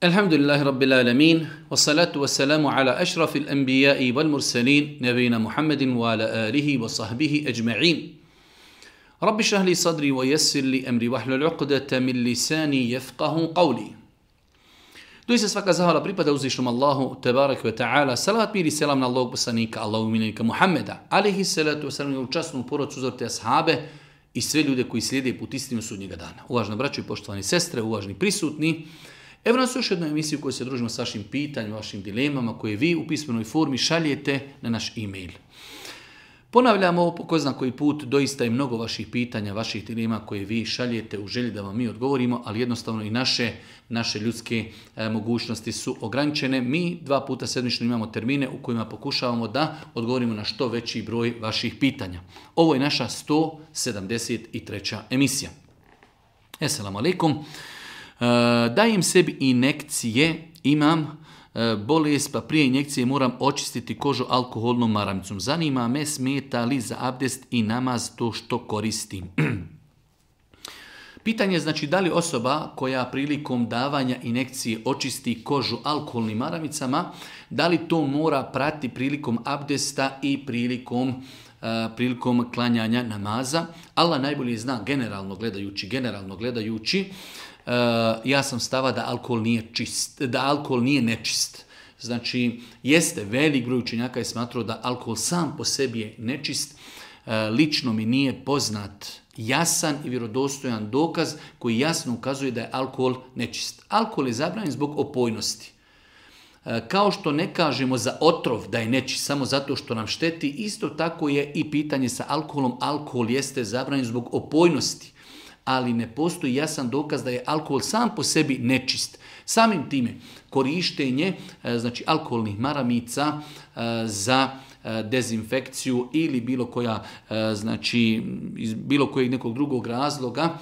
Alhamdulillahi Rabbil Alamin, wassalatu wassalamu ala ašrafil anbiya'i wal mursalin, nabina Muhammedin wa ala alihi wa sahbihi ajma'in. Rabbi šrah li sadri wa yassir li amri wahlul uqdata min lisani yafqahu qawli. Doista svaka zahvala pripada uzvišnom Allahu, tebarek ve ta'ala, salavat mir i selam na Allahog poslanika, Allahu miljenika Muhammeda, alihi salatu wasalam, u časnu porodcu uzorte ashabe i sve ljude koji slijede put istinu sudnjega dana. Uvažna braćo i poštovani sestre, uvažni prisutni, evo nas još jednu emisiju koju se družimo s vašim pitanjima, vašim dilemama koje vi u pismenoj formi šaljete na naš e-mail. Ponavljamo po ko zna koji put, doista je mnogo vaših pitanja, vaših dilema koje vi šaljete u želji da vam mi odgovorimo, ali jednostavno i naše ljudske mogućnosti su ograničene. Mi 2 puta sedmično imamo termine u kojima pokušavamo da odgovorimo na što veći broj vaših pitanja. Ovo je naša 173. emisija. Esselamu alaikum. Dajem sebi injekcije, imam bolest, pa prije injekcije moram očistiti kožu alkoholnom maramicom. Zanima me, smeta li za abdest i namaz to što koristim? Pitanje je znači da li osoba koja prilikom davanja injekcije očisti kožu alkoholnim maramicama, da li to mora prati prilikom abdesta i prilikom klanjanja namaza. Allah najbolje zna generalno gledajući, ja sam stava da alkohol nije nečist. Znači, jeste velik broj učenjaka je smatrao da alkohol sam po sebi je nečist. Lično mi nije poznat jasan i vjerodostojan dokaz koji jasno ukazuje da je alkohol nečist. Alkohol je zabranjen zbog opojnosti. Kao što ne kažemo za otrov da je nečist samo zato što nam šteti, isto tako je i pitanje sa alkoholom. Alkohol jeste zabranjen zbog opojnosti, ali ne postoji jasan dokaz da je alkohol sam po sebi nečist. Samim time korištenje znači alkoholnih maramica za dezinfekciju ili iz bilo kojeg nekog drugog razloga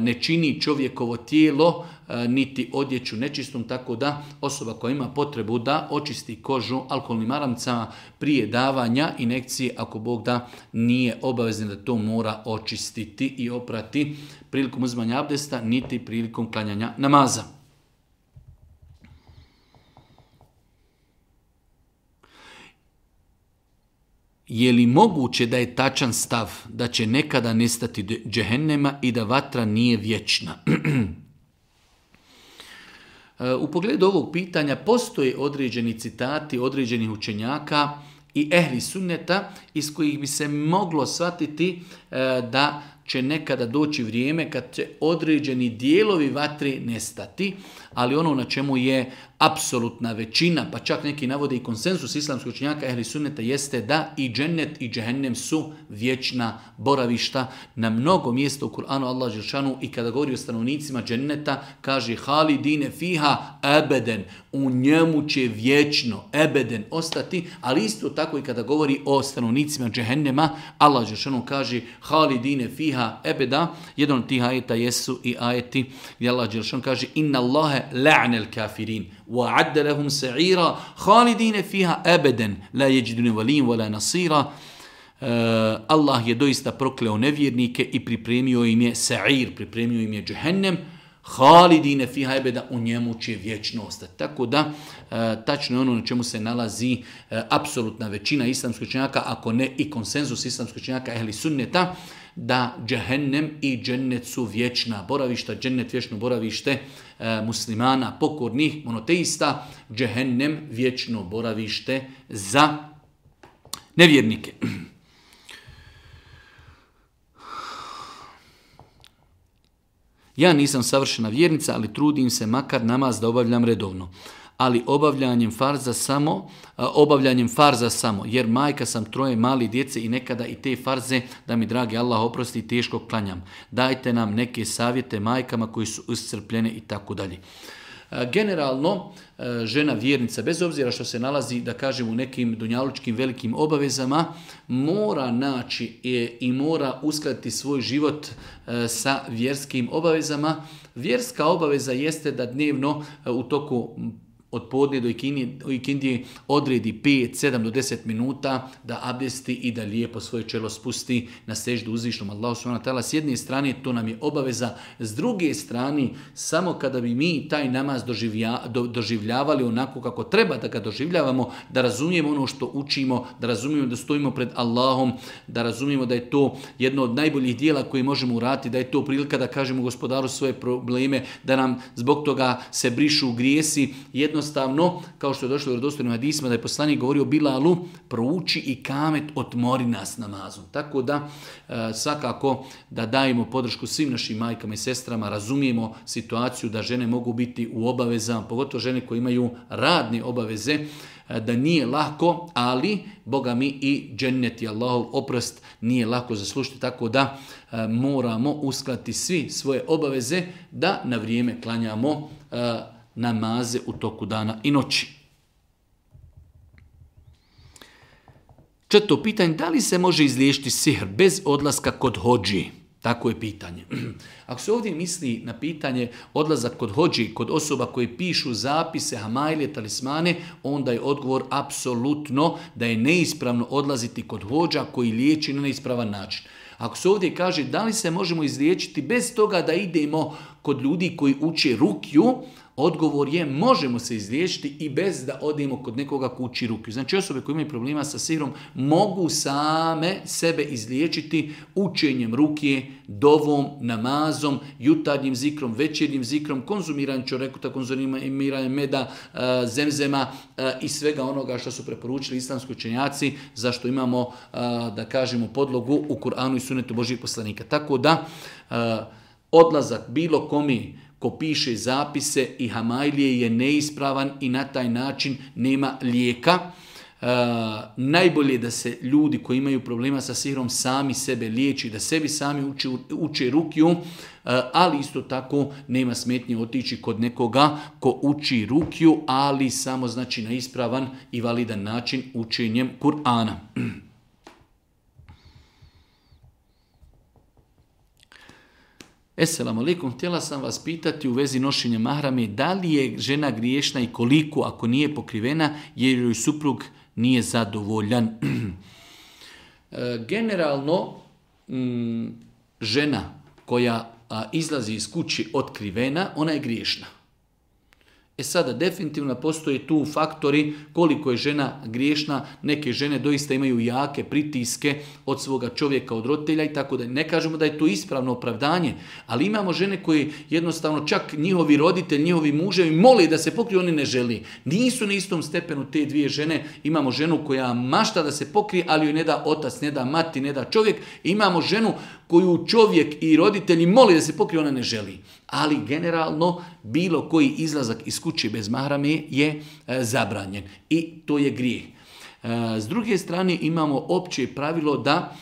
ne čini čovjekovo tijelo niti odjeću nečistom, tako da osoba koja ima potrebu da očisti kožu alkoholnim maramicama prije davanja injekcije, ako Bog da, nije obavezno da to mora očistiti i oprati prilikom uzimanja abdesta niti prilikom klanjanja namaza. Je li moguće da je tačan stav da će nekada nestati džehennema i da vatra nije vječna? U pogledu ovog pitanja postoje određeni citati određenih učenjaka i ehli sunneta iz kojih bi se moglo shvatiti da će nekada doći vrijeme kad će određeni dijelovi vatri nestati, ali ono na čemu je apsolutna većina, pa čak neki navode i konsenzus islamskog učenjaka ehli sunneta, jeste da i džennet i džehennem su vječna boravišta. Na mnogo mjesta u Kur'anu Allah dželešanu i kada govori o stanovnicima dženneta kaže halidine fiha ebeden, u njemu će vječno ebeden ostati, ali isto tako i kada govori o stanovnicima džehennema Allah dželešanu kaže halidine fiha ebeda. Jedan od tih ajeta jesu i ajeti gdje Allah dželešanu kaže inna Allahe la'nel kafirin وَعَدَّ لَهُمْ سَعِيرًا خَالِدِينَ فِيهَا أَبَدًا لَا يَجِدُونَ وَلِيًّا وَلَا نَصِيرًا. Allah je doista prokleo nevjernike i pripremio im je sa'ir, pripremio im je džehennem. Halidine fiha ebeda, u njemu će vječno ostati. Tako da, tačno je ono na čemu se nalazi apsolutna većina islamskih učenjaka, ako ne i konsenzus islamskih učenjaka ehli sunneta, da džehennem i džennet su vječna boravišta, džennet vječno boravište muslimana, pokornih, monoteista, džehennem vječno boravište za nevjernike. Ja nisam savršena vjernica, ali trudim se makar namaz da obavljam redovno. Ali obavljanjem farza samo, jer majka sam 3 mali djece i nekada i te farze, da mi dragi Allah oprosti, teško klanjam. Dajte nam neke savjete majkama koji su iscrpljene i tako dalje. Generalno, žena vjernica, bez obzira što se nalazi, da kažem, u nekim dunjalučkim velikim obavezama, mora naći i mora uskladiti svoj život sa vjerskim obavezama. Vjerska obaveza jeste da dnevno u toku od podne do ikindije odredi 5, 7 do 10 minuta da abdesti i da lijepo svoje čelo spusti na seždu uzvišnom Allahu subhanahu wa ta'ala. S jedne strane to nam je obaveza, s druge strane samo kada bi mi taj namaz doživljavali onako kako treba da ga doživljavamo, da razumijemo ono što učimo, da razumijemo da stojimo pred Allahom, da razumijemo da je to jedno od najboljih dijela koje možemo uraditi, da je to prilika da kažemo Gospodaru svoje probleme, da nam zbog toga se brišu grijesi. Jednostavno, kao što je došlo u vjerodostojnim hadisima, da je poslanik govorio Bilalu, prouči i kamet, otmori nas namazom. Tako da, svakako da dajemo podršku svim našim majkama i sestrama, razumijemo situaciju da žene mogu biti u obavezama, pogotovo žene koje imaju radne obaveze, da nije lako, ali Boga mi i džennet i Allahov oprost nije lako zaslužiti, tako da moramo uskladiti svi svoje obaveze da na vrijeme klanjamo namaze u toku dana i noći. Četvrto pitanje, da li se može izliječiti sihr bez odlaska kod hodži? Tako je pitanje. Ako se ovdje misli na pitanje odlazak kod hodži, kod osoba koje pišu zapise, hamajlije, talismane, onda je odgovor apsolutno da je neispravno odlaziti kod hodža koji liječi na neispravan način. Ako se ovdje kaže da li se možemo izliječiti bez toga da idemo kod ljudi koji uče rukju, odgovor je možemo se izliječiti i bez da odemo kod nekoga ko uči rukju. Znači osobe koje imaju problema sa sihrom mogu same sebe izliječiti učenjem rukje, dovom, namazom, jutarnjim zikrom, večernjim zikrom, konzumiranjem čorekuta, konzumiranjem meda, zemzema i svega onoga što su preporučili islamski učenjaci, zašto imamo, da kažemo, podlogu u Kur'anu i Sunnetu Božjih poslanika. Tako da odlazak bilo komi ko piše zapise i hamajlije je neispravan i na taj način nema lijeka. Najbolje je da se ljudi koji imaju problema sa sihrom sami sebe liječi, da sebi sami uče rukju, ali isto tako nema smetnje otići kod nekoga ko uči rukju, ali samo znači na ispravan i validan način učenjem Kur'ana. Esselamu alaikum, htjela sam vas pitati u vezi nošenja mahrame, da li je žena griješna i koliko ako nije pokrivena jer joj suprug nije zadovoljan. Generalno, žena koja izlazi iz kući otkrivena, ona je griješna. Sada definitivno postoje tu faktori koliko je žena griješna. Neke žene doista imaju jake pritiske od svoga čovjeka, od roditelja i tako da ne kažemo da je to ispravno opravdanje, ali imamo žene koje jednostavno čak njihovi roditelji, njihovi muževi mole da se pokriju, oni ne želi. Nisu na istom stepenu te dvije žene. Imamo ženu koja mašta da se pokrije, ali joj ne da otac, ne da mati, ne da čovjek. Imamo ženu koju čovjek i roditelji mole da se pokrije, ona ne želi. Ali generalno bilo koji izlazak iz kuće bez mahrame je zabranjen i to je grijeh. S druge strane imamo opće pravilo da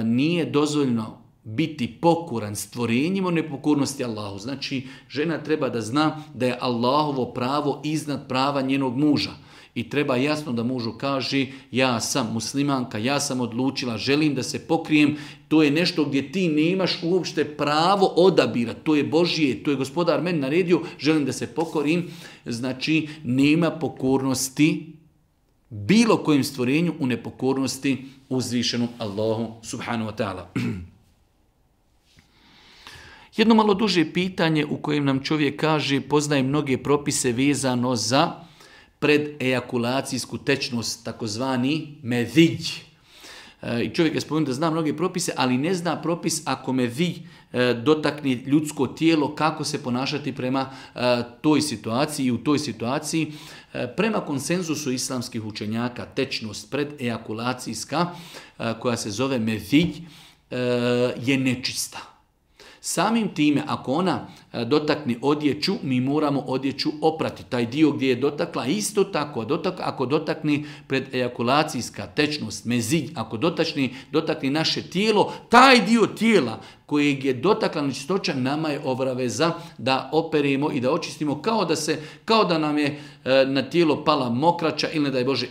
nije dozvoljeno biti pokoran stvorenjima u nepokornosti Allahu. Znači žena treba da zna da je Allahovo pravo iznad prava njenog muža. I treba jasno da mužu kaže ja sam muslimanka, ja sam odlučila, želim da se pokrijem. To je nešto gdje ti nemaš uopšte pravo odabira. To je Božje, to je Gospodar meni naredio, želim da se pokorim. Znači nema pokornosti bilo kojem stvorenju u nepokornosti uzvišenom Allahu subhanahu wa ta'ala. Jedno malo duže pitanje u kojem nam čovjek kaže poznaje mnoge propise vezano za predejakulacijsku tečnost, takozvani medij. I čovjek je spomenuo da zna mnoge propise, ali ne zna propis ako medij dotakne ljudsko tijelo, kako se ponašati prema toj situaciji i u toj situaciji. Prema konsenzusu islamskih učenjaka, tečnost predejakulacijska, koja se zove medij, je nečista. Samim time, ako ona dotakne odjeću, mi moramo odjeću oprati. Taj dio gdje je dotakla, isto tako, ako dotakne predejakulacijska tečnost, mezij, ako dotakne naše tijelo, taj dio tijela kojeg je dotakla nečistoća, nama je obaveza da operemo i da očistimo kao da nam je na tijelo pala mokraća ili ne daj Bože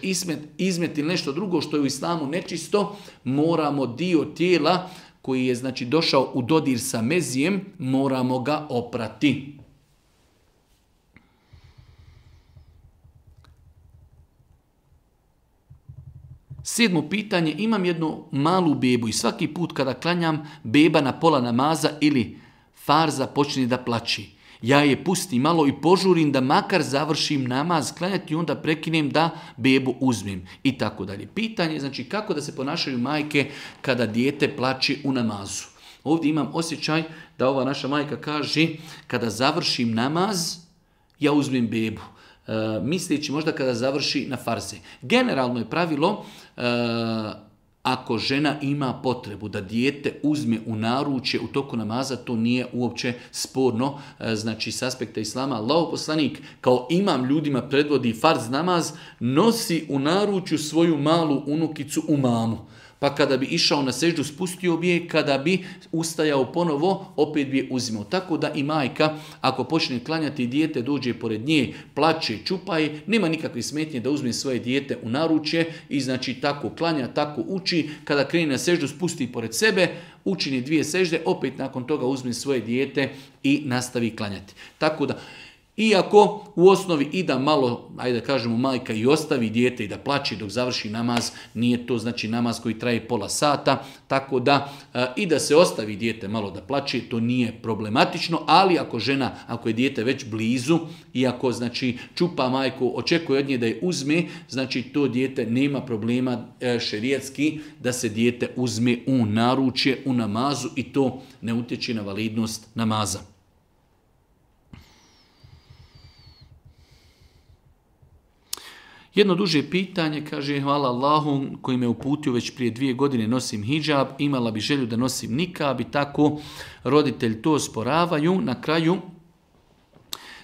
izmet ili nešto drugo što je u islamu nečisto, moramo dio tijela koji je znači došao u dodir sa mezijem, moramo ga oprati. 7. pitanje, imam jednu malu bebu i svaki put kada klanjam, beba na pola namaza ili farza počne da plači. Ja je pustim malo i požurim da makar završim namaz klanjati i onda prekinem da bebu uzmem i tako dalje. Pitanje, znači kako da se ponašaju majke kada dijete plači u namazu. Ovdje imam osjećaj da ova naša majka kaže kada završim namaz, ja uzmem bebu. Misleći možda kada završi na farze. Generalno je pravilo, ako žena ima potrebu da dijete uzme u naručje u toku namaza, to nije uopće sporno. Znači, s aspekta islama, Allahov poslanik kao imam ljudima predvodi farz namaz, nosi u naručju svoju malu unukicu Umamu. Pa kada bi išao na seždu, spustio bi je, kada bi ustajao ponovo, opet bi je uzimao. Tako da i majka, ako počne klanjati, dijete dođe pored nje, plače, čupa je, nema nikakve smetnje da uzme svoje dijete u naručje i znači tako klanja, tako uči. Kada krene na seždu, spusti pored sebe, učini 2 sežde, opet nakon toga uzme svoje dijete i nastavi klanjati. Tako da, iako u osnovi i da malo, ajde da kažemo, majka i ostavi dijete i da plaće dok završi namaz, nije to znači namaz koji traje pola sata, tako da i da se ostavi dijete malo da plaće, to nije problematično, ali ako žena, ako je dijete već blizu i ako znači čupa majku, očekuje od nje da je uzme, znači to dijete nema problema šerijatski da se dijete uzme u naručje, u namazu i to ne utječe na validnost namaza. Jedno duže pitanje, kaže, hvala Allahu koji me uputio već prije 2 godine nosim hidžab, imala bi želju da nosim nikab i tako roditelji to osporavaju. Na kraju,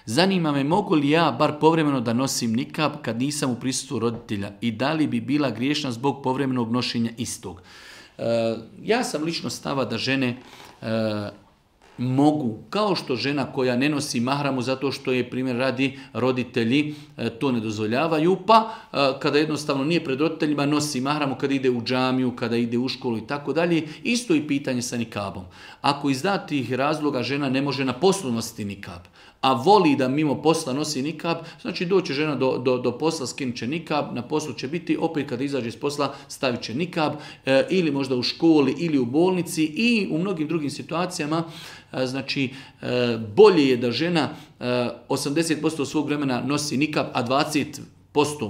zanima me mogu li ja bar povremeno da nosim nikab kad nisam u prisustvu roditelja i da li bi bila griješna zbog povremenog nošenja istog. Ja sam lično stava da žene mogu, kao što žena koja ne nosi mahramu zato što je, primjer radi, roditelji to ne dozvoljavaju, pa kada jednostavno nije pred roditeljima nosi mahramu kada ide u džamiju, kada ide u školu i tako dalje, isto i pitanje sa nikabom. Ako iz datih razloga žena ne može na poslu nositi nikab, a voli da mimo posla nosi nikab, znači doće žena do posla, skinut će nikab, na poslu će biti, opet kada izađe iz posla stavit će nikab, ili možda u školi ili u bolnici i u mnogim drugim situacijama. Znači, bolje je da žena 80% svog vremena nosi nikab, a 20%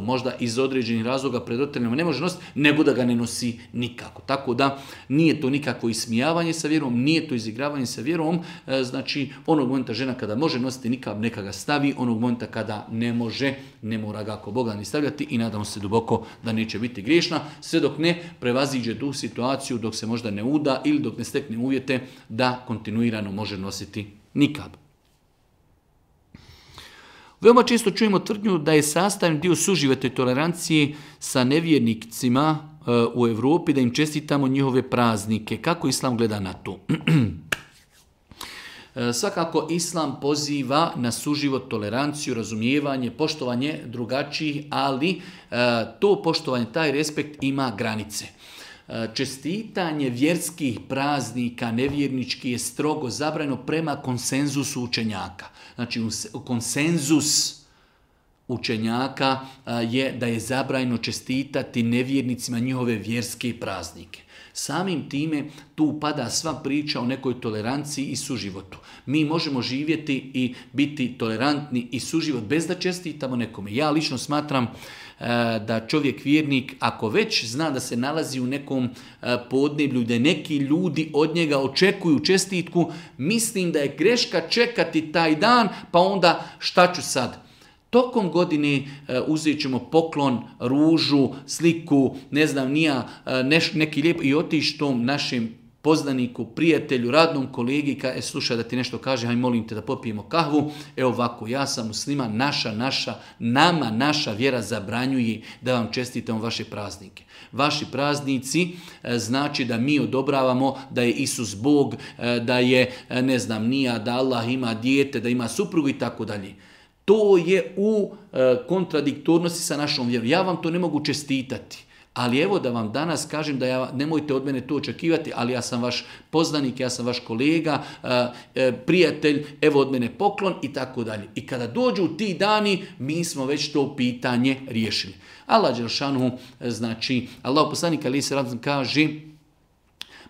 možda iz određenih razloga pred roditeljima ne može nositi, nego da ga ne nosi nikako. Tako da nije to nikako ismijavanje sa vjerom, nije to izigravanje sa vjerom. Znači, onog momenta žena kada može nositi nikab, neka ga stavi, onog momenta kada ne može, ne mora ga ako Boga ni stavljati i nadamo se duboko da neće biti griješna, sve dok ne prevaziđe tu situaciju, dok se možda ne uda ili dok ne stekne uvjete da kontinuirano može nositi nikab. Veoma često čujemo tvrdnju da je sastavni dio suživota i tolerancije sa nevjernicima u Europi, da im čestitamo njihove praznike. Kako Islam gleda na to? Svakako Islam poziva na suživot, toleranciju, razumijevanje, poštovanje drugačijih, ali to poštovanje, taj respekt ima granice. Čestitanje vjerskih praznika nevjernički je strogo zabranjeno prema konsenzusu učenjaka. Znači, konsenzus učenjaka je da je zabranjeno čestitati nevjernicima njihove vjerske praznike. Samim time tu pada sva priča o nekoj toleranciji i suživotu. Mi možemo živjeti i biti tolerantni i suživot bez da čestitamo nekome. Ja lično smatram da čovjek vjernik, ako već zna da se nalazi u nekom podneblju, da neki ljudi od njega očekuju čestitku, mislim da je greška čekati taj dan, pa onda šta ću sad? Tokom godine uzet ćemo poklon, ružu, sliku, ne znam nija, neki lijep i otići tom našem poznaniku, prijatelju, radnom kolegi, slušaj da ti nešto kaže, haj molim te da popijemo kahvu, evo ovako, ja sam musliman, nama naša vjera zabranjuje da vam čestitamo vaše praznike. Vaši praznici znači da mi odobravamo da je Isus Bog, da je, ne znam nija, da Allah ima dijete, da ima suprugu i tako dalje. To je u kontradiktornosti sa našom vjerom. Ja vam to ne mogu čestitati. Ali evo da vam danas kažem da nemojte od mene to očekivati, ali ja sam vaš poznanik, ja sam vaš kolega, prijatelj, evo od mene poklon i tako dalje. I kada dođu ti dani, mi smo već to pitanje riješili. Allah dželešanu, znači, Allah poslanik alejhi selam kaže: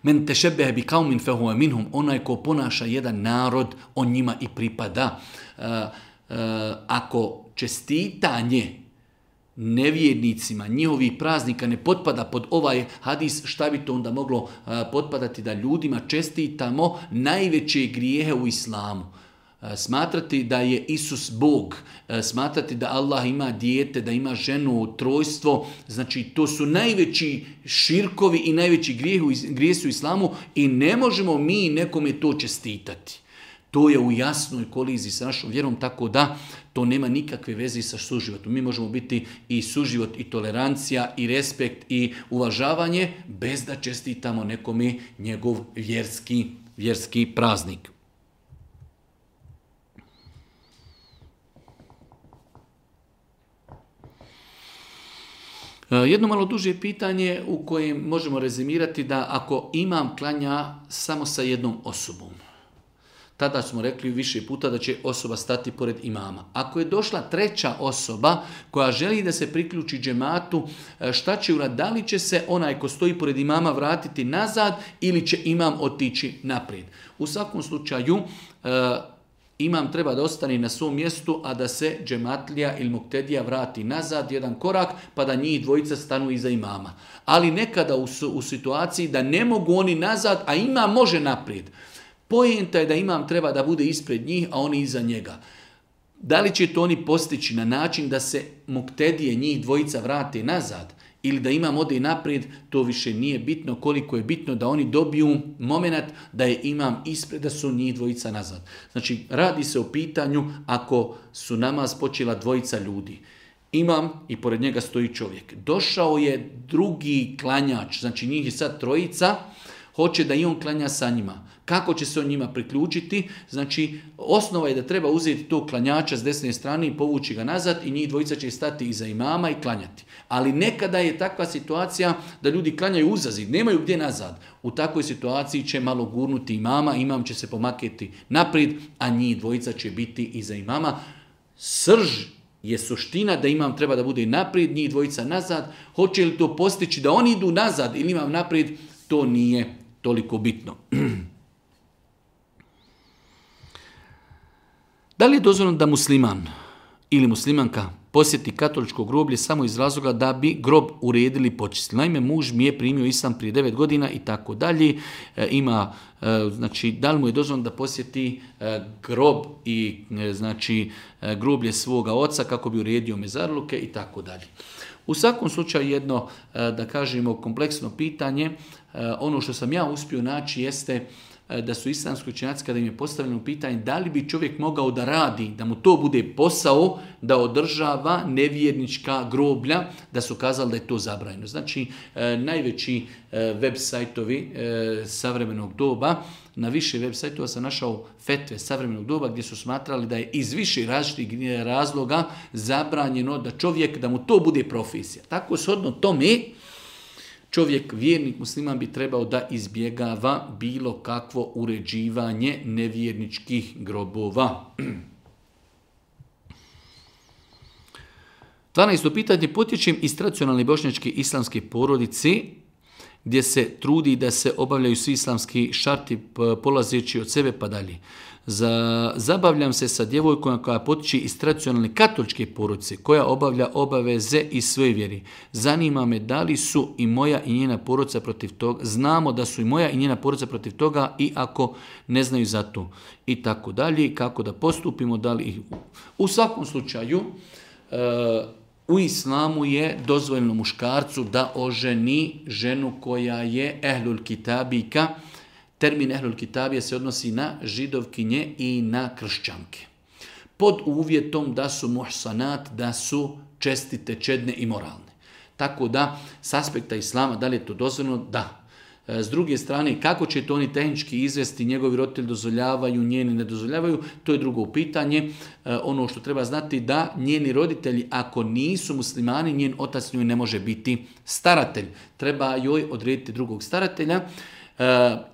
Men tešebehe bi kaumin fehuve minhum, onaj ko ponaša jedan narod, on njima i pripada. Ako čestitanje nevjernicima, njihovih praznika ne potpada pod ovaj hadis, šta bi to onda moglo potpadati? Da ljudima čestitamo najveće grijehe u islamu. Smatrati da je Isus Bog, smatrati da Allah ima dijete, da ima ženu, trojstvo, znači to su najveći širkovi i najveći grijesi u islamu i ne možemo mi nekome to čestitati. To je u jasnoj koliziji sa našom vjerom, tako da to nema nikakve veze sa suživotom. Mi možemo biti i suživot, i tolerancija, i respekt, i uvažavanje, bez da čestitamo nekome njegov vjerski praznik. Jedno malo duže pitanje u kojem možemo rezimirati da ako imam klanja samo sa jednom osobom, tada smo rekli više puta da će osoba stati pored imama. Ako je došla treća osoba koja želi da se priključi džematu, šta će uraditi? Da li će se onaj ko stoji pored imama vratiti nazad ili će imam otići naprijed? U svakom slučaju, imam treba da ostane na svom mjestu, a da se džematlija ili muktedija vrati nazad jedan korak, pa da njih dvojica stanu iza imama. Ali nekada u situaciji da ne mogu oni nazad, a imam može naprijed. Poenta je da imam treba da bude ispred njih, a oni iza njega. Da li će to oni postići na način da se muktedije njih dvojica vrate nazad ili da imam ode naprijed, to više nije bitno. Koliko je bitno da oni dobiju moment da je imam ispred, da su njih dvojica nazad. Znači, radi se o pitanju ako su namaz počela dvojica ljudi. Imam i pored njega stoji čovjek. Došao je drugi klanjač, znači njih je sad trojica, hoće da i on klanja sa njima. Kako će se on njima priključiti? Znači, osnova je da treba uzeti tog klanjača s desne strane i povući ga nazad i njih dvojica će stati iza imama i klanjati. Ali nekada je takva situacija da ljudi klanjaju uzazid, nemaju gdje nazad. U takvoj situaciji će malo gurnuti imama, imam će se pomaketi naprijed, a njih dvojica će biti iza imama. Srž je suština da imam treba da bude naprijed, njih dvojica nazad. Hoće li to postići da oni idu nazad ili imam naprijed, to nije toliko bitno. Da li je dozvoljeno da musliman ili muslimanka posjeti katoličko groblje samo iz razloga da bi grob uredili i počistili? Naime, muž mi je primio islam prije 9 godina i tako dalje. Ima, znači, da li mu je dozvoljeno da posjeti grob i znači groblje svoga oca kako bi uredio mezarluke i tako dalje. U svakom slučaju jedno, da kažemo, kompleksno pitanje. Ono što sam ja uspio naći jeste da su islamski učenjaci kada im je postavljeno pitanje da li bi čovjek mogao da radi, da mu to bude posao, da održava nevjernička groblja, da su kazali da je to zabranjeno. Znači, najveći web sajtovi savremenog doba, na više web sajtova sam našao fetve savremenog doba gdje su smatrali da je iz više različitih razloga zabranjeno da čovjek, da mu to bude profesija. Tako shodno tome, čovjek, vjernik musliman bi trebao da izbjegava bilo kakvo uređivanje nevjerničkih grobova. 12. pitanje. Potječem iz tradicionalne bošnjačke islamske porodice gdje se trudi da se obavljaju svi islamski šarti polazeći od sebe pa dalje. Zabavljam se sa djevojkom koja potječe iz tradicionalne katoličke porodice, koja obavlja obaveze iz svoje vjeri. Zanima me da li su i moja i njena porodica protiv toga. Znamo da su i moja i njena porodica protiv toga i ako ne znaju za to. I tako dalje, kako da postupimo, da li ih... U svakom slučaju, u islamu je dozvoljeno muškarcu da oženi ženu koja je ehlul kitabika. Termin ehlul kitabija se odnosi na židovkinje i na kršćanke. Pod uvjetom da su muhsanat, da su čestite, čedne i moralne. Tako da, s aspekta islama, da li je to dozvoljeno? Da. S druge strane, kako će to oni tehnički izvesti, njegovi roditelji dozvoljavaju, njeni ne dozvoljavaju, to je drugo pitanje. Ono što treba znati da njeni roditelji, ako nisu muslimani, njen otac njoj ne može biti staratelj. Treba joj odrediti drugog staratelja.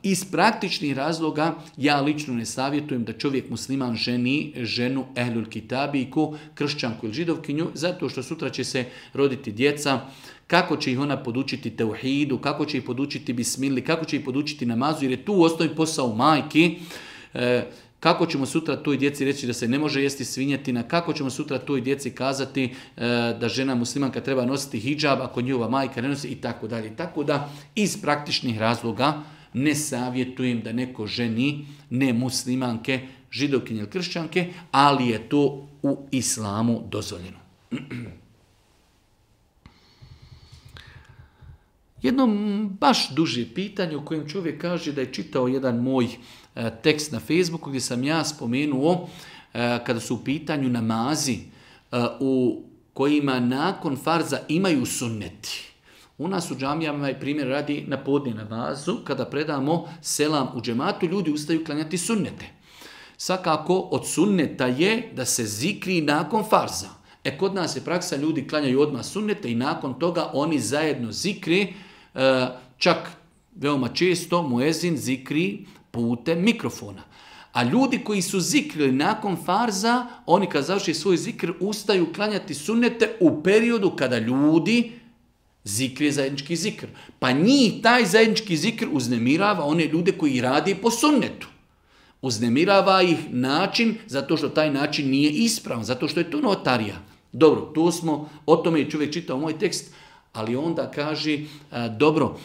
Iz praktičnih razloga ja lično ne savjetujem da čovjek musliman ženi ženu ehlul kitabijku, kršćanku ili židovkinju, zato što sutra će se roditi djeca. Kako će ih ona podučiti teuhidu, kako će ih podučiti bismili, kako će ih podučiti namazu, jer je tu u osnovi posao majki. Kako ćemo sutra toj djeci reći da se ne može jesti svinjetina, kako ćemo sutra toj djeci kazati da žena muslimanka treba nositi hidžab ako njihova majka ne nosi i tako dalje. Tako da iz praktičnih razloga ne savjetujem da neko ženi ne muslimanke, židovkinje ili kršćanke, ali je to u islamu dozvoljeno. Jedno baš duže pitanje u kojem čovjek kaže da je čitao jedan moj tekst na Facebooku gdje sam ja spomenuo kada su u pitanju namazi u kojima nakon farza imaju sunneti. U nas u džamijama je primjer radi na podne namazu, kada predamo selam u džematu, ljudi ustaju klanjati sunnete. Svakako od sunneta je da se zikri nakon farza. Kod nas je praksa, ljudi klanjaju odmah sunnete i nakon toga oni zajedno zikri, čak veoma često muezin zikri putem mikrofona. A ljudi koji su zikrili nakon farza, oni kad završi svoj zikr ustaju klanjati sunnete u periodu kada ljudi zikri zajednički zikr. Pa njih taj zajednički zikr uznemirava one ljude koji radi po sunnetu. Uznemirava ih način zato što taj način nije ispravan, zato što je to notarija. Dobro, to smo, o tome je čovjek čitao moj tekst, ali onda kaže, dobro,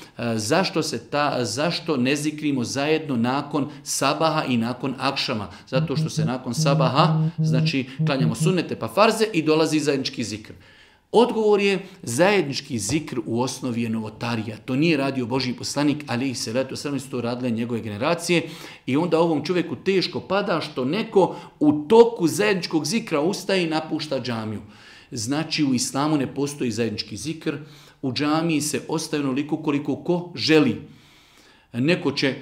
zašto ne zikrimo zajedno nakon sabaha i nakon akšama? Zato što se nakon sabaha, znači klanjamo sunnete pa farze i dolazi zajednički zikr. Odgovor je, zajednički zikr u osnovi je novotarija. To nije radio Božji poslanik, ali se radi, su to radile njegove generacije i onda ovom čovjeku teško pada što neko u toku zajedničkog zikra ustaje i napušta džamiju. Znači u islamu ne postoji zajednički zikr, u džamiji se ostaje onoliko koliko ko želi. Neko će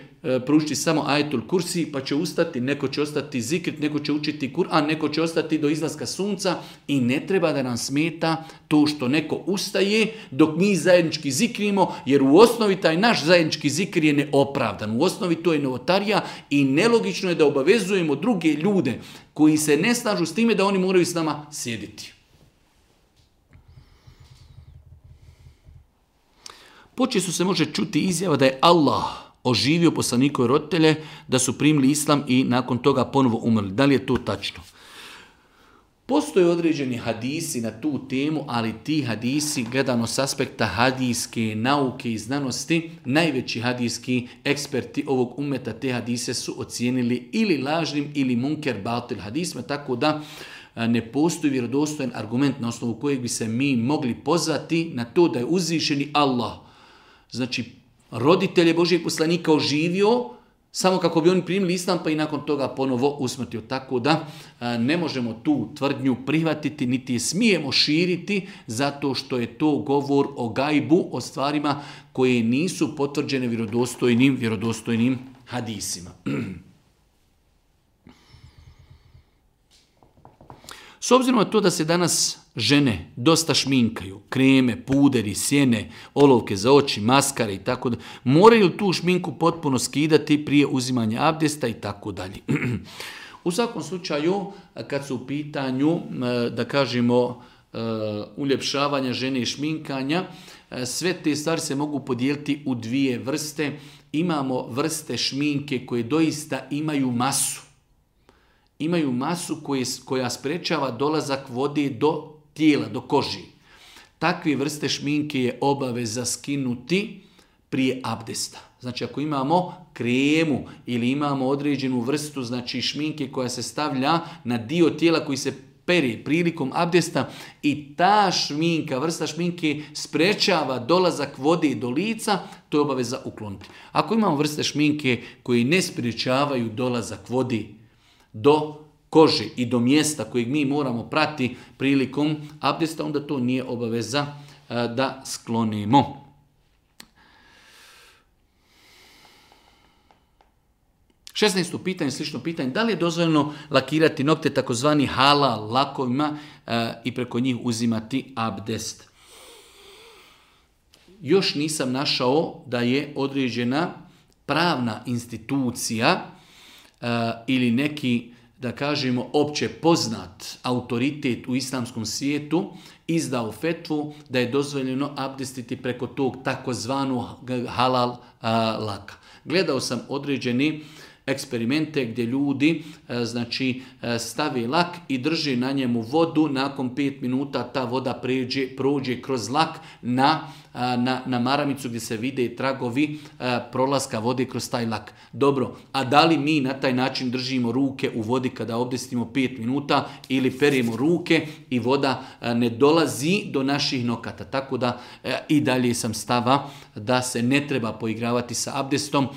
proučiti samo ajetul kursi pa će ustati, neko će ostati zikrit, neko će učiti Kur'an, neko će ostati do izlaska sunca i ne treba da nam smeta to što neko ustaje dok mi zajednički zikrimo, jer u osnovi taj naš zajednički zikr je neopravdan. U osnovi to je novotarija i nelogično je da obavezujemo druge ljude koji se ne slažu s time da oni moraju s nama sjediti. Počesto se može čuti izjava da je Allah oživio poslanikove roditelje, da su primili islam i nakon toga ponovo umrli. Da li je to tačno? Postoje određeni hadisi na tu temu, ali ti hadisi, gledano s aspekta hadijske nauke i znanosti, najveći hadijski eksperti ovog umeta te hadise su ocijenili ili lažnim ili munker batil hadisma, tako da ne postoji vjerodostojan argument na osnovu kojeg bi se mi mogli pozvati na to da je uzvišeni Allah, znači roditelje Božijeg poslanika oživio samo kako bi oni primili islam pa i nakon toga ponovo usmrtio. Tako da ne možemo tu tvrdnju prihvatiti niti je smijemo širiti zato što je to govor o gajbu, o stvarima koje nisu potvrđene vjerodostojnim hadisima. S obzirom na to da se danas žene dosta šminkaju, kreme, puderi, sjene, olovke za oči, maskare i tako da, moraju tu šminku potpuno skidati prije uzimanja abdesta i tako dalje. U svakom slučaju, kad su u pitanju, da kažemo, uljepšavanja žene i šminkanja, sve te stvari se mogu podijeliti u dvije vrste. Imamo vrste šminke koje doista imaju masu. Imaju masu koja sprečava dolazak vode do tijela, do koži. Takve vrste šminke je obaveza skinuti prije abdesta. Znači ako imamo kremu ili imamo određenu vrstu znači šminke koja se stavlja na dio tijela koji se pere prilikom abdesta i ta šminka, vrsta šminke sprečava dolazak vode do lica, to je obaveza ukloniti. Ako imamo vrste šminke koje ne sprečavaju dolazak vode do kože i do mjesta kojeg mi moramo prati prilikom abdesta, onda to nije obaveza da sklonimo. 16. pitanje, slično pitanje, da li je dozvoljeno lakirati nokte takozvani halal lakovima i preko njih uzimati abdest? Još nisam našao da je određena pravna institucija ili neki, da kažemo, opće poznat autoritet u islamskom svijetu izdao fetvu da je dozvoljeno abdestiti preko tog takozvanog halal laka. Gledao sam određeni eksperimente gdje ljudi stave lak i drže na njemu vodu, nakon 5 minuta ta voda prođe kroz lak na maramicu gdje se vide tragovi prolaska vode kroz taj lak. Dobro, a da li mi na taj način držimo ruke u vodi kada abdestimo 5 minuta ili perimo ruke i voda ne dolazi do naših nokata? Tako da i dalje sam stava da se ne treba poigravati sa abdestom.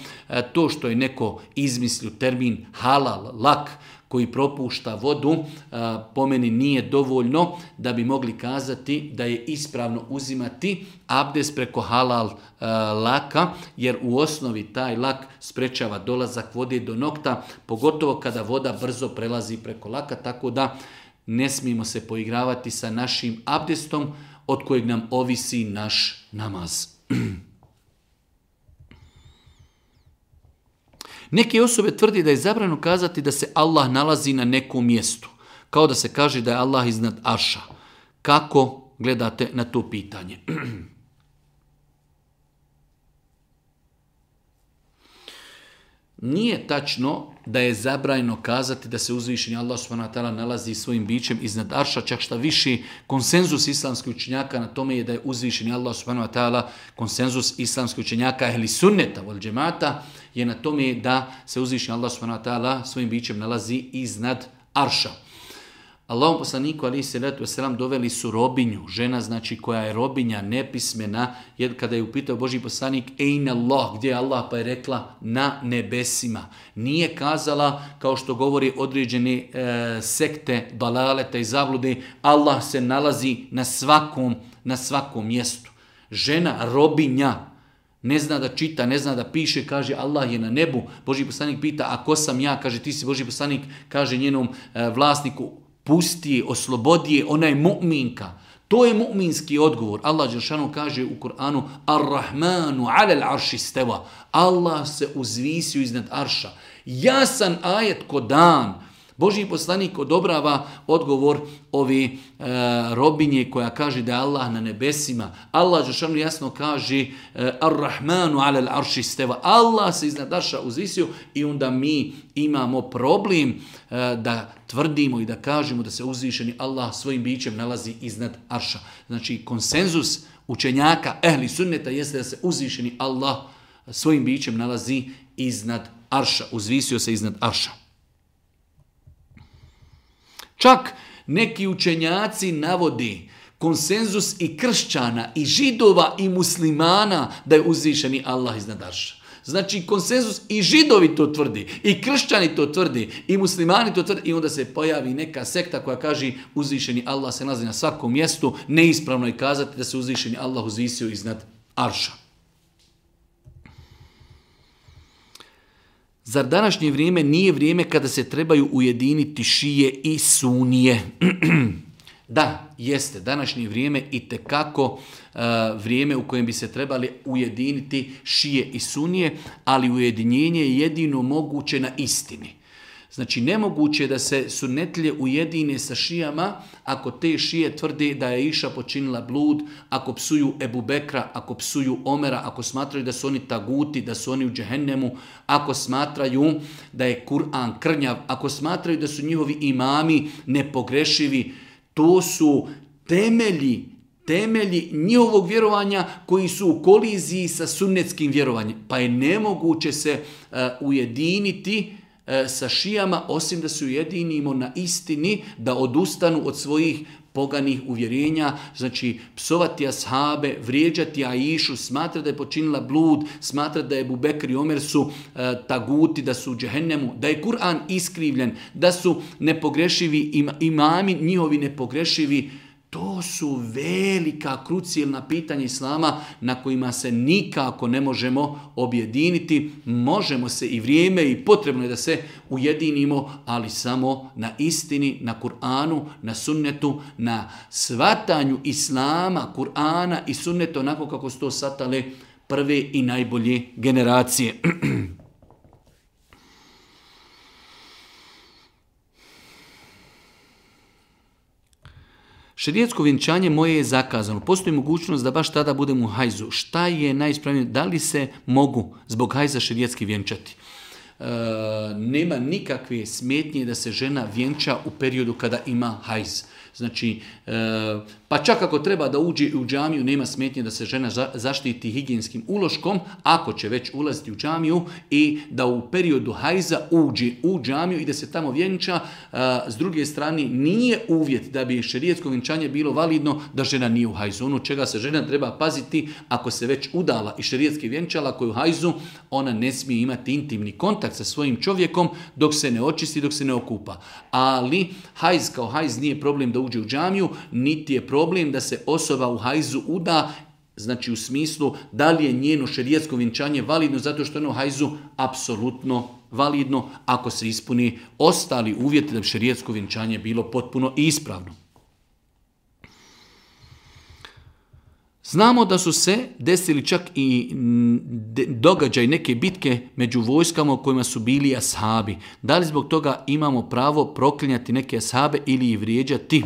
To što je neko izmislio termin halal lak koji propušta vodu, po meni nije dovoljno da bi mogli kazati da je ispravno uzimati abdest preko halal laka, jer u osnovi taj lak sprečava dolazak vode do nokta, pogotovo kada voda brzo prelazi preko laka, tako da ne smijemo se poigravati sa našim abdestom od kojeg nam ovisi naš namaz. Neke osobe tvrdi da je zabranjeno kazati da se Allah nalazi na nekom mjestu, kao da se kaže da je Allah iznad arša. Kako gledate na to pitanje? Nije tačno da je zabranjeno kazati da se uzvišeni Allah subhanahu wa ta'ala nalazi svojim bićem iznad arša, čak šta više konsenzus islamskih učenjaka na tome je da je uzvišeni Allah subhanahu wa ta'ala, konsenzus islamskih učenjaka ehli sunneta wal džemata je na tome da se uzvišeni Allah subhanahu wa ta'ala svojim bićem nalazi iznad arša. Allahom poslaniku alejhi selatu vesselam doveli su robinju, žena koja je robinja, nepismena, jer kada je upitao Božji poslanik Ejna Allah, gdje je Allah, pa je rekla na nebesima. Nije kazala, kao što govori određene sekte, dalaleta i zablude, Allah se nalazi na svakom mjestu. Žena, robinja, ne zna da čita, ne zna da piše, kaže Allah je na nebu. Božji poslanik pita, a ko sam ja? Kaže ti si Božji poslanik, kaže njenom vlasniku, pusti je, oslobodi je, ona je mu'minka. To je mu'minski odgovor. Allah dželešanu kaže u Kur'anu Ar-Rahmanu alel arši steva. Allah se uzvisio iznad arša. Jasan ajet ko dan. Božji poslanik odobrava odgovor ove robinje koja kaže da je Allah na nebesima. Allah dželešanu jasno kaže Ar-Rahmanu alel arši steva. Allah se iznad arša uzvisio i onda mi imamo problem da tvrdimo i da kažemo da se uzvišeni Allah svojim bićem nalazi iznad arša. Znači konsenzus učenjaka ehli sunneta jeste da se uzvišeni Allah svojim bićem nalazi iznad arša. Uzvisio se iznad arša. Čak neki učenjaci navodi konsenzus i kršćana, i židova, i muslimana da je uzvišeni Allah iznad arša. Znači konsenzus i židovi to tvrdi, i kršćani to tvrdi, i muslimani to tvrdi, i onda se pojavi neka sekta koja kaže uzvišeni Allah se nalazi na svakom mjestu, neispravno je kazati da se uzvišeni Allah uzvisio iznad arša. Zar današnje vrijeme nije vrijeme kada se trebaju ujediniti šije i sunije? Da, jeste. Današnje vrijeme itekako vrijeme u kojem bi se trebali ujediniti šije i sunije, ali ujedinjenje je jedino moguće na istini. Znači, nemoguće je da se sunnetlije ujedine sa šijama ako te šije tvrde da je Iša počinila blud, ako psuju Ebu Bekra, ako psuju Omera, ako smatraju da su oni taguti, da su oni u džehennemu, ako smatraju da je Kur'an krnjav, ako smatraju da su njihovi imami nepogrešivi. To su temelji njihovog vjerovanja koji su u koliziji sa sunnetskim vjerovanjem. Pa je nemoguće se ujediniti sa šijama, osim da se ujedinimo na istini, da odustanu od svojih poganih uvjerenja, znači psovati ashabe, vrijeđati Aišu, smatrati da je počinila blud, smatrati da je Ebu Bekr i Omer su taguti, da su u džehennemu, da je Kur'an iskrivljen, da su nepogrešivi imami, njihovi nepogrešivi. To To su velika, krucijalna pitanja islama na kojima se nikako ne možemo objediniti. Možemo se i vrijeme i potrebno je da se ujedinimo, ali samo na istini, na Kur'anu, na sunnetu, na shvatanju islama, Kur'ana i sunneta onako kako su to shvatale prve i najbolje generacije. Šerijetsko vjenčanje moje je zakazano. Postoji mogućnost da baš tada budem u hajzu. Šta je najispravnije? Da li se mogu zbog hajza šerijetski vjenčati? Nema nikakve smetnje da se žena vjenča u periodu kada ima hajz. Znači, pa čak ako treba da uđe u džamiju, nema smetnje da se žena zaštiti higijenskim uloškom, ako će već ulaziti u džamiju i da u periodu hajza uđe u džamiju i da se tamo vjenča. S druge strane, nije uvjet da bi šerijetsko vjenčanje bilo validno da žena nije u hajzu. Ono čega se žena treba paziti, ako se već udala i šerijetski vjenčala, ako je u hajzu, ona ne smije imati intimni kontakt sa svojim čovjekom dok se ne očisti, dok se ne okupa. Ali hajz kao hajz nije problem da uđe u džamiju, niti je problem da se osoba u hajzu uda, znači u smislu da li je njeno šerijetsko vjenčanje validno, zato što je ono u hajzu apsolutno validno ako se ispuni ostali uvjeti da bi šerijetsko vjenčanje bilo potpuno ispravno. Znamo da su se desili čak i događaj, neke bitke među vojskama u kojima su bili ashabi. Da li zbog toga imamo pravo proklinjati neke ashabe ili ih vrijeđati?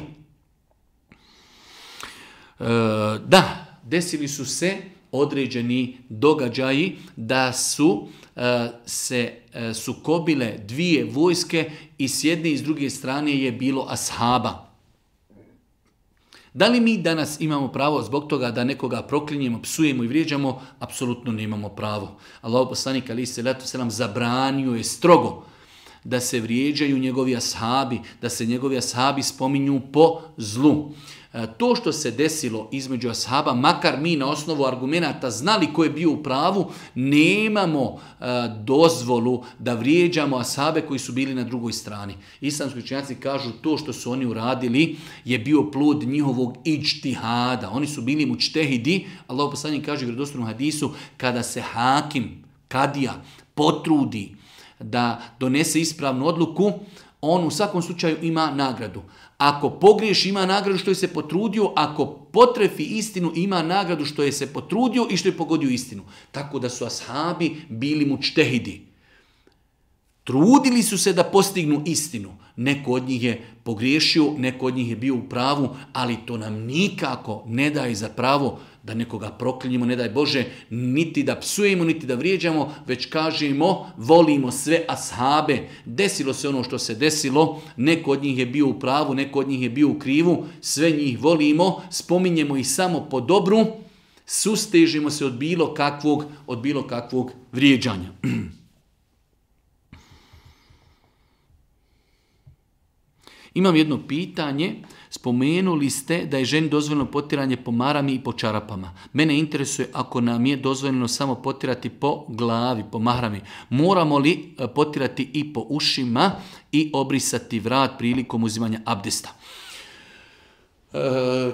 Da, desili su se određeni događaji da su se sukobile dvije vojske i s jedne i s druge strane je bilo ashaba. Da li mi danas imamo pravo zbog toga da nekoga proklinjemo, psujemo i vrijeđamo? Apsolutno nemamo pravo. Allahov poslanik alejhi selatu selam zabranio je strogo da se vrijeđaju njegovi ashabi, da se njegovi ashabi spominju po zlu. To što se desilo između ashaba, makar mi na osnovu argumenata znali ko je bio u pravu, nemamo dozvolu da vrijeđamo ashabe koji su bili na drugoj strani. Islamski učenjaci kažu to što su oni uradili je bio plod njihovog iđtihada. Oni su bili mučtehidi. Allahov poslanik kaže u vjerodostojnom hadisu, kada se hakim, kadija, potrudi da donese ispravnu odluku, on u svakom slučaju ima nagradu. Ako pogriješi, ima nagradu što je se potrudio, ako potrefi istinu, ima nagradu što je se potrudio i što je pogodio istinu. Tako da su ashabi bili mučtehidi. Trudili su se da postignu istinu. Neko od njih je pogriješio, neko od njih je bio u pravu, ali to nam nikako ne daje za pravo da nekoga proklinjemo, ne daj Bože, niti da psujemo, niti da vrijeđamo, već kažemo, volimo sve ashabe. Desilo se ono što se desilo, neko od njih je bio u pravu, neko od njih je bio u krivu, sve njih volimo, spominjemo ih samo po dobru, sustežimo se od bilo kakvog vrijeđanja. Imam jedno pitanje. Spomenuli ste da je ženi dozvoljeno potiranje po marami i po čarapama. Mene interesuje ako nam je dozvoljeno samo potirati po glavi, po mahrami. Moramo li potirati i po ušima i obrisati vrat prilikom uzimanja abdesta?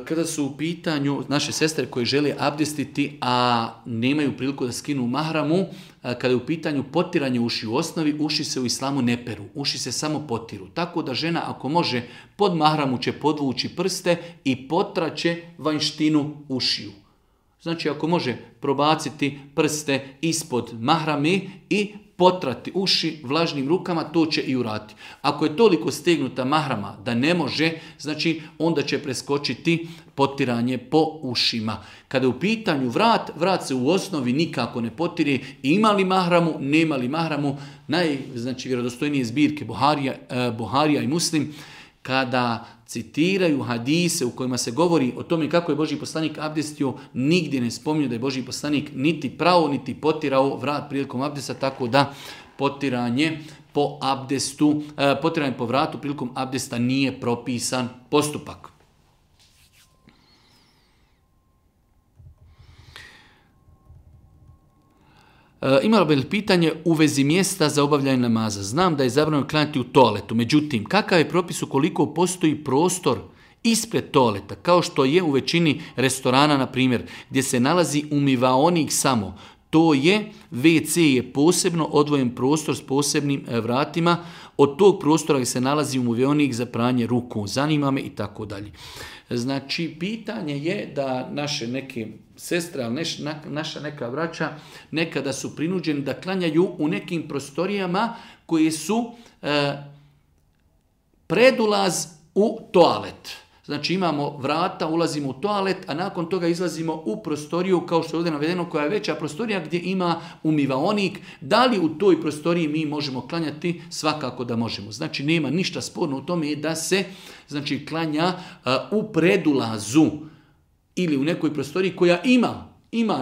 Kada su u pitanju naše sestre koje žele abdestiti, a nemaju priliku da skinu mahramu, kada je u pitanju potiranje uši u osnovi, uši se u islamu ne peru, uši se samo potiru. Tako da žena ako može pod mahramu će podvući prste i potraće vanjštinu ušiju. Znači ako može probaciti prste ispod mahrame i potrati uši vlažnim rukama, to će i uraditi. Ako je toliko stegnuta mahrama da ne može, znači onda će preskočiti potiranje po ušima. Kada je u pitanju vrat se u osnovi nikako ne potire, ima li mahramu, nema li mahramu. Vjerodostojnije zbirke Buharija i Muslim, kada citiraju hadise u kojima se govori o tome kako je Božji poslanik abdestio, nigdje ne spominju da je Božji poslanik niti prao, niti potirao vrat prilikom abdesta, tako da potiranje po vratu prilikom abdesta nije propisan postupak. Imalo bi pitanje u vezi mjesta za obavljanje namaza. Znam da je zabranjeno klanjati u toaletu, međutim, kakav je propis ukoliko postoji prostor ispred toaleta, kao što je u većini restorana, na primjer, gdje se nalazi umivaonik samo, to je, WC je posebno odvojen prostor s posebnim vratima, od tog prostora gdje se nalazi umivaonik za pranje ruku, zanima me i tako dalje. Znači, pitanje je da naše neke sestre, ali naša neka braća, nekada su prinuđeni da klanjaju u nekim prostorijama koje su predulaz u toalet. Znači imamo vrata, ulazimo u toalet, a nakon toga izlazimo u prostoriju, kao što je ovdje navedeno, koja je veća prostorija gdje ima umivaonik. Da li u toj prostoriji mi možemo klanjati? Svakako da možemo. Znači nema ništa sporno u tome da se klanja u predulazu ili u nekoj prostoriji koja ima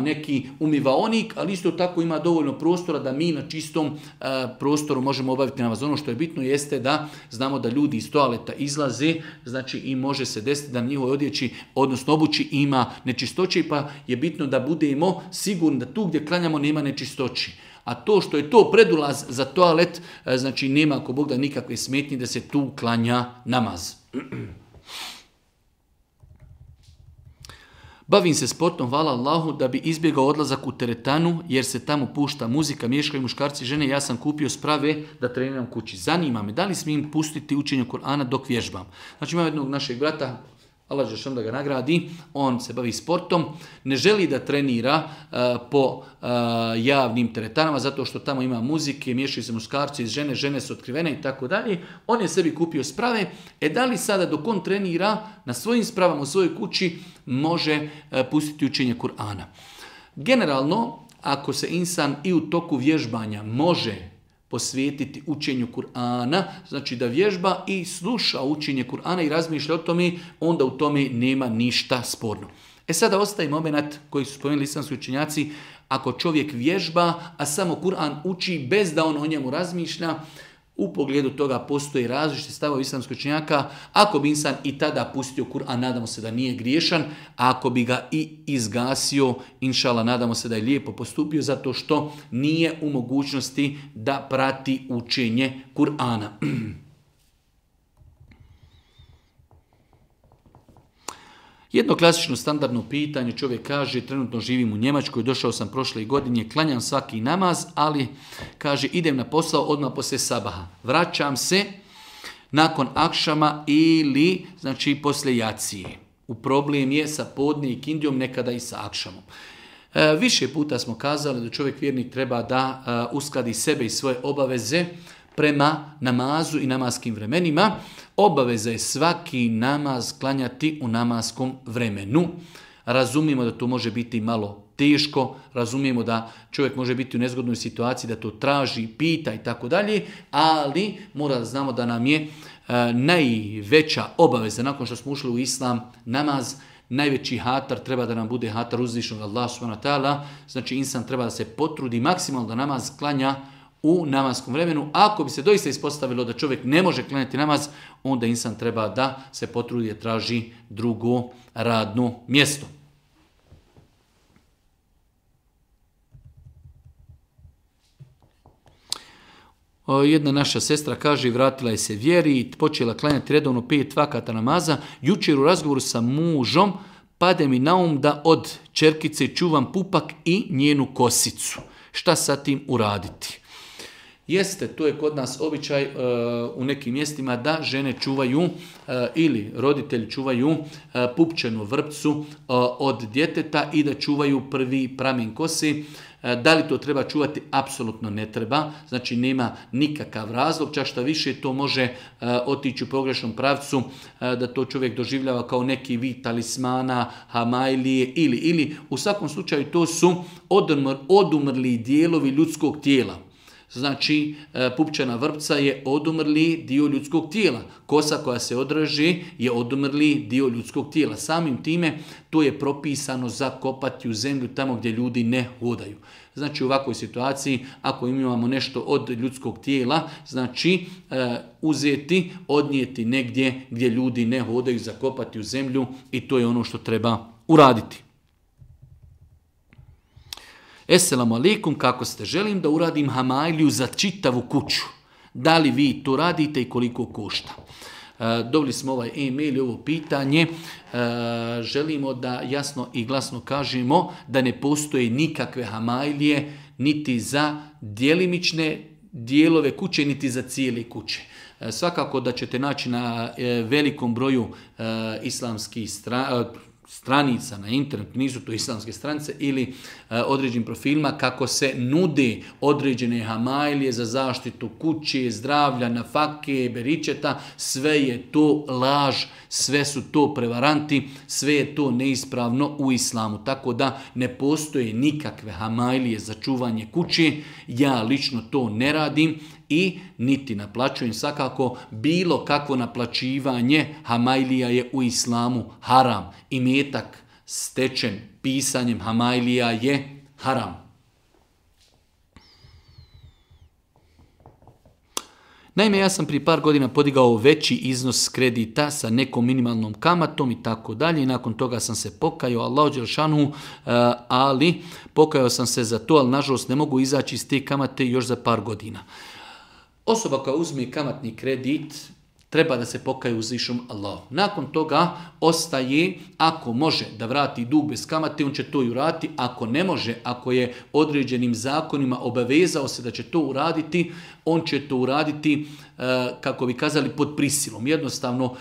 neki umivaonik, ali isto tako ima dovoljno prostora da mi na čistom prostoru možemo obaviti namaz. Ono što je bitno jeste da znamo da ljudi iz toaleta izlaze, znači i može se desiti da na njihovoj odjeći, odnosno obući, ima nečistoći, pa je bitno da budemo sigurni da tu gdje klanjamo nema nečistoći. A to što je to predulaz za toalet, znači nema ako Bog da nikakve smetnje da se tu klanja namaz. Bavim se sportom, hvala Allahu, da bi izbjegao odlazak u teretanu, jer se tamo pušta muzika, miješaju muškarci i žene. Ja sam kupio sprave da treniram kući. Zanima me, da li smijem pustiti učenje Kur'ana dok vježbam? Znači imam jednog našeg brata, Allah žešan da ga nagradi, on se bavi sportom, ne želi da trenira po javnim teretanama, zato što tamo ima muzike, miješaju se muškarci i žene su otkrivene i tako dalje. On je sebi kupio sprave, da li sada dok on trenira na svojim spravama u svojoj kući može pustiti učenje Kur'ana? Generalno, ako se insan i u toku vježbanja može posvetiti učenju Kur'ana, znači da vježba i sluša učenje Kur'ana i razmišlja o tome, onda u tome nema ništa sporno. Sada ostaje moment koji su spomenuli islamski učenjaci, ako čovjek vježba, a samo Kur'an uči bez da on o njemu razmišlja, u pogledu toga postoji različite stavovi islamskih učenjaka. Ako bi insan i tada pustio Kur'an, nadamo se da nije griješan, a ako bi ga i izgasio, inšala, nadamo se da je lijepo postupio, zato što nije u mogućnosti da prati učenje Kur'ana. Jedno klasično standardno pitanje, čovjek kaže, trenutno živim u Njemačkoj, došao sam prošle godine, klanjam svaki namaz, ali kaže, idem na posao odmah poslije sabaha. Vraćam se nakon akšama ili, znači, poslije jacije. U problem je sa podne i kindijom, nekada i sa akšamom. Više puta smo kazali da čovjek vjernik treba da uskladi sebe i svoje obaveze prema namazu i namaskim vremenima. Obaveza je svaki namaz klanjati u namaskom vremenu. Razumijemo da to može biti malo teško, razumijemo da čovjek može biti u nezgodnoj situaciji, da to traži, pita i tako dalje, ali mora da znamo da nam je najveća obaveza nakon što smo ušli u islam, namaz, najveći hatar treba da nam bude hatar uzvišenog Allah subhanahu wa ta'ala, znači insan treba da se potrudi maksimalno da namaz klanja u namaskom vremenu. Ako bi se doista ispostavilo da čovjek ne može klanjati namaz, onda insan treba da se potrudi da traži drugo radno mjesto. Jedna naša sestra kaže, vratila je se vjeri i počela klanjati redovno 5 vakata namaza. Jučer u razgovoru sa mužom pade mi na um da od ćerkice čuvam pupak i njenu kosicu. Šta sa tim uraditi? Jeste, to je kod nas običaj u nekim mjestima da žene čuvaju ili roditelji čuvaju pupčanu vrpcu od djeteta i da čuvaju prvi pramen kose. Da li to treba čuvati? Apsolutno ne treba. Znači nema nikakav razlog, čak šta više to može otići u pogrešnom pravcu, da to čovjek doživljava kao neki vid talismana, hamajlije ili u svakom slučaju to su odumrli dijelovi ljudskog tijela. Znači, pupčana vrpca je odumrli dio ljudskog tijela. Kosa koja se odreže je odumrli dio ljudskog tijela. Samim time to je propisano zakopati u zemlju tamo gdje ljudi ne hodaju. Znači u ovakvoj situaciji, ako imamo nešto od ljudskog tijela, znači uzeti, odnijeti negdje gdje ljudi ne hodaju, zakopati u zemlju i to je ono što treba uraditi. Esselamu alaikum, kako ste? Želim da uradim hamajliju za čitavu kuću. Da li vi to radite i koliko košta? Dobili smo ovaj e-mail i ovo pitanje. Želimo da jasno i glasno kažemo da ne postoje nikakve hamajlije niti za djelimične dijelove kuće, niti za cijele kuće. Svakako da ćete naći na velikom broju islamskih stranica na internetu, nisu to islamske stranice, ili određenim profilima kako se nude određene hamajlije za zaštitu kuće, zdravlja, nafake, beričeta. Sve je to laž, sve su to prevaranti, sve je to neispravno u islamu. Tako da ne postoje nikakve hamajlije za čuvanje kuće. Ja lično to ne radim i niti naplaćujem. Svakako bilo kakvo naplaćivanje hamajlija je u islamu haram. Imetak stečen pisanjem hamajlija je haram. Naime, ja sam prije par godina podigao veći iznos kredita sa nekom minimalnom kamatom i tako dalje. I nakon toga sam se pokajao, Allahu dželešanu, ali pokajao sam se za to, ali nažalost ne mogu izaći iz te kamate još za par godina. Osoba koja uzme kamatni kredit treba da se pokaje uzvišenom Allahu. Nakon toga ostaje, ako može da vrati dug bez kamate, on će to i uraditi. Ako ne može, ako je određenim zakonima obavezao se da će to uraditi, on će to uraditi, kako bi kazali, pod prisilom. Jednostavno,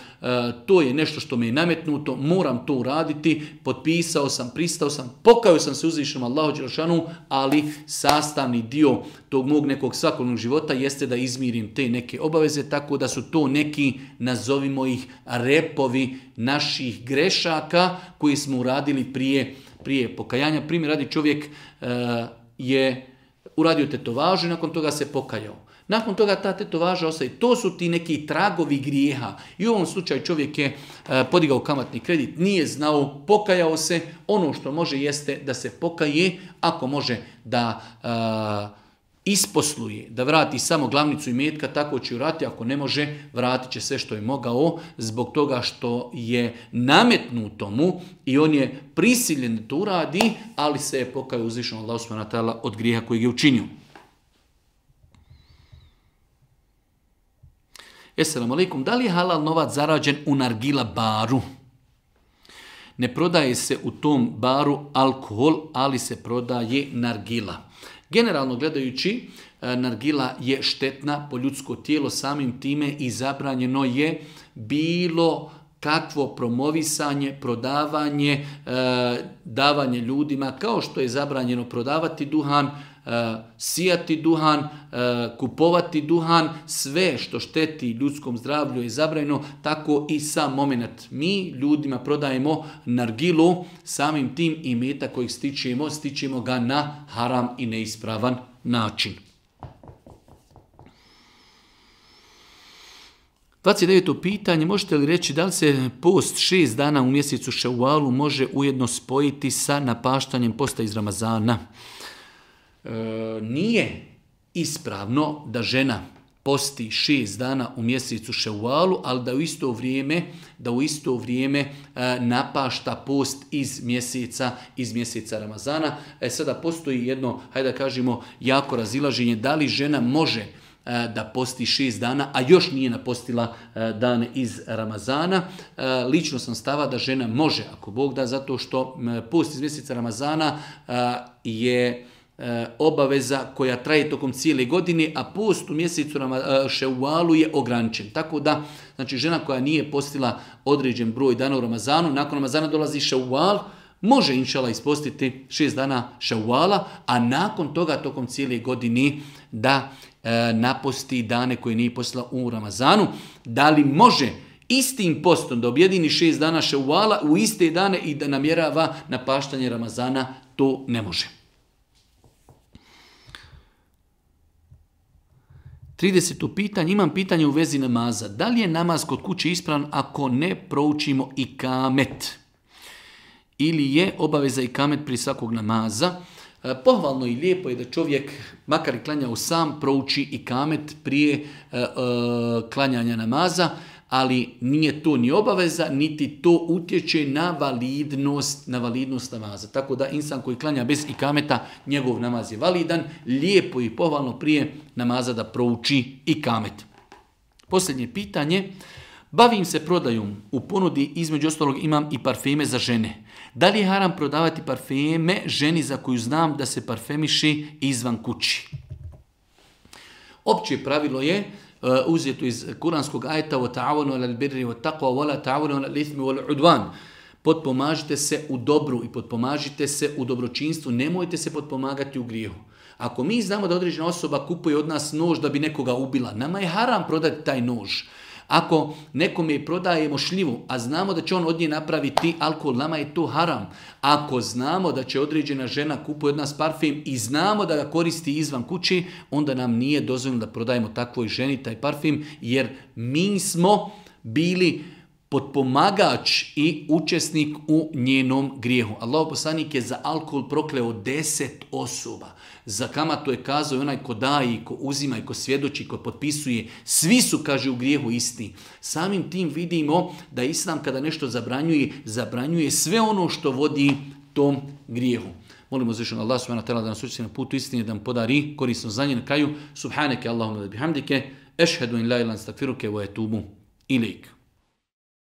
to je nešto što me je nametnuto, moram to uraditi, potpisao sam, pristao sam, pokajao sam se uzvišenom Allahu dželešanu, ali sastavni dio tog mog nekog svakodnevnog života jeste da izmirim te neke obaveze, tako da su to neki, nazovimo ih, repovi naših grešaka koji smo uradili prije pokajanja. Primjer radi, čovjek je uradio tetovažu i nakon toga se pokajao. Nakon toga ta tetovaža ostaje. To su ti neki tragovi grijeha. I u ovom slučaju čovjek je podigao kamatni kredit, nije znao, pokajao se. Ono što može jeste da se pokaje, ako može da isposluje, da vrati samo glavnicu imetka, tako će uraditi. Ako ne može, vratit će sve što je mogao zbog toga što je nametnuto mu i on je prisiljen da to uradi, ali se je pokajao uzvišenom Allahu subhanahu wa ta'ala od grijeha kojeg je učinio. Esselamu alaikum, da li je halal novac zarađen u nargila baru? Ne prodaje se u tom baru alkohol, ali se prodaje nargila. Generalno gledajući, nargila je štetna po ljudsko tijelo, samim time i zabranjeno je bilo kakvo promovisanje, prodavanje, davanje ljudima, kao što je zabranjeno prodavati duhan, sijati duhan, kupovati duhan, sve što šteti ljudskom zdravlju je zabranjeno, tako i sam moment. Mi ljudima prodajemo nargilu, samim tim imetak kojeg stičemo ga na haram i neispravan način. 29. pitanje, možete li reći da li se post 6 dana u mjesecu Ševalu može ujedno spojiti sa napaštanjem posta iz Ramazana? Nije ispravno da žena posti 6 dana u mjesecu Ševalu, ali da u isto vrijeme napašta post iz mjeseca Ramazana. Sada postoji jedno, hajde da kažemo, jako razilaženje da li žena može da posti 6 dana, a još nije napostila dane iz Ramazana. Lično sam stava da žena može, ako Bog da, zato što post iz mjeseca Ramazana je obaveza koja traje tokom cijele godine, a post u mjesecu Ševalu je ograničen. Tako da, znači, žena koja nije postila određen broj dana u Ramazanu, nakon Ramazana dolazi Ševal, može inšala ispostiti 6 dana Ševala, a nakon toga tokom cijele godine da naposti dane koje nije postila u Ramazanu. Da li može istim postom da objedini 6 dana Ševala u iste dane i da namjerava napaštanje Ramazana? To ne može. 30. pitanje, imam pitanje u vezi namaza. Da li je namaz kod kuće ispravan ako ne proučimo ikamet? Ili je obaveza ikamet prije svakog namaza? Pohvalno i lijepo je da čovjek, makar i klanjao sam, prouči ikamet prije klanjanja namaza, ali nije to ni obaveza, niti to utječe na validnost namaza. Tako da insan koji klanja bez ikameta, njegov namaz je validan, lijepo i pohvalno prije namaza da prouči ikamet. Posljednje pitanje, Bavim se prodajom. U ponudi između ostalog imam i parfeme za žene. Da li je haram prodavati parfeme ženi za koju znam da se parfemiši izvan kući? Opće pravilo je uzeto iz kuranskog ajeta وَتَعَوَنُوا عَلَى الْبِرِّ وَالتَّقْوَى وَلَا تَعَوَنُوا عَلَى الْإِثْمِ وَالْعُدْوَانِ. Potpomažite se u dobru i potpomažite se u dobročinstvu, nemojte se potpomagati u grijehu. Ako mi znamo da određena osoba kupuje od nas nož da bi nekoga ubila, nama je haram prodati taj nož. Ako nekome prodajemo šljivu, a znamo da će on od nje napraviti alkohol, nama je to haram. Ako znamo da će određena žena kupuje od nas parfem i znamo da ga koristi izvan kući, onda nam nije dozvoljeno da prodajemo takvoj ženi taj parfem, jer mi smo bili potpomagač i učesnik u njenom grijehu. Allahov poslanik je za alkohol prokleo 10 osoba. Za kamatu je kazao i onaj ko daje, i ko uzima, i ko svjedoči, ko potpisuje. Svi su, kaže, u grijehu isti. Samim tim vidimo da Islam kada nešto zabranjuje sve ono što vodi tom grijehu. Molimo uzvišenog Allah subhanahu wa ta'ala da nas učini na putu istine, da nam podari korisno znanje na kraju. Subhaneke Allahumma bihamdike, ešhedu in la ilaha illa anta, astaghfiruke wa etubu ilejk.